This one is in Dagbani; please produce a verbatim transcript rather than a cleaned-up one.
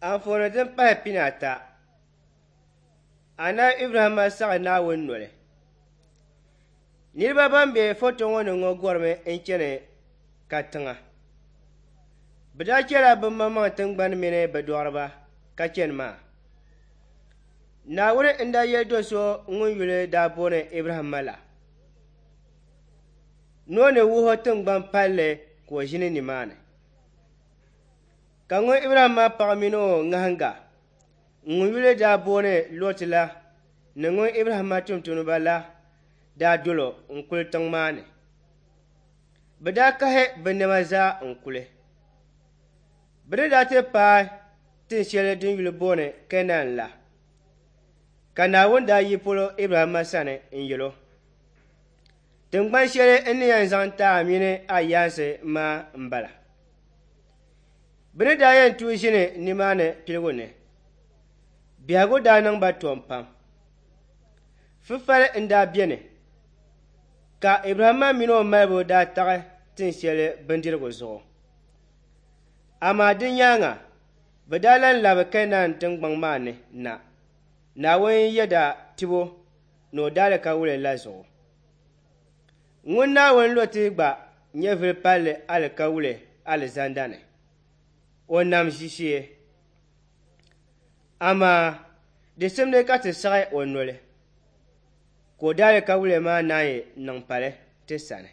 Anfooni din pahi pinaata Anabi Ibrahimma saɣi Naawuni noli. Niriba ban be foto ŋɔ ni ŋɔ gɔrimi n-chani katiŋa. Bɛ daa chɛla bɛ maŋmaŋ tiŋgbani mini bɛ dɔɣiriba ka chani maa. Naawuni n-daa yɛli do so ŋun yuli daa booni Ibrahimma la ni o ni wuhi o tiŋgbani palli ka o ʒini nimaani. Ka ŋun Ibrahimma paɣ mini o ŋahiŋga ŋun yuli daa booni Lɔt la ni ŋun Ibrahimma tumtumdiba la daa dol o n-kuli tiŋ maa ni. Bɛ daa kahi bɛ nɛma zaa n-kuli. Bɛ ni daa ti paai tin shɛli din yuli booni Kɛnaan la, ka Naawuni daa yi polo Ibrahimma sani n-yɛl o, Tiŋgban shɛli n ni yɛn zaŋ ti a mini a yaansi maa m-bala. Bɛ ni daa yɛn tuui ʒini nimaani piligu ni, biɛhigu daa niŋ ba tom pam. Fufali n-daa beni, ka Ibrahimma mini o malibu daa taɣi tin shɛli bindirigu zuɣu. Amaa di nyaaŋa bɛ daa lan labi Kɛnaan tiŋgbɔŋ maa ni na, Naawuni yɛda tibu ni o daalikawuli la zuɣu. Ŋun Naawuni lo ti gba nyɛvili palli alikawuli alizanda ni, o nam ʒiishee. Amaa di simdi ka ti saɣi o noli, ka o daalikawuli maa naanyi niŋ pali ti sani.